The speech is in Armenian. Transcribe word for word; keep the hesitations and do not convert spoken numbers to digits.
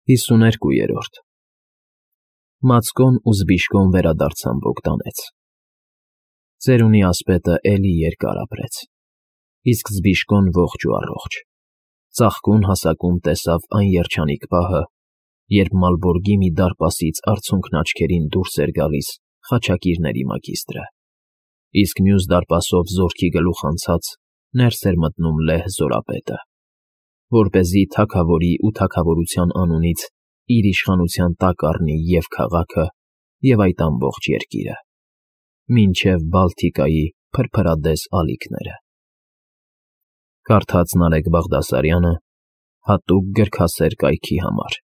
ՀԻսուններկուԵՐՈՐԴ Մացկոն ու Զբիշկոն վերադարձան Բոգդանեց. ծերունի ասպետը էլի երկար ապրեց, իսկ Զբիշկոն ողջ ու առողջ, ծաղկուն հասակում տեսավ այն երջանիկ պահը, երբ Մալբորգի մի դարպասից արցունքն աչքերին դուրս էր գալիս խաչակիրների մագիստրը, իսկ մյուս դարպասով զորքի գլուխ անցած ներս էր մտնում լեհ զորապետը, որպեսզի թագավորի ու թագավորության անունից իր իշխանության տակ առնի և քաղաքը, և այդ ամբողջ երկիրը, մինչև Բալթիկայի փրփրադես ալիքները։ Կարդաց Նարեկ Բաղդասարյանը հատուկ գրքասեր կայքի համար։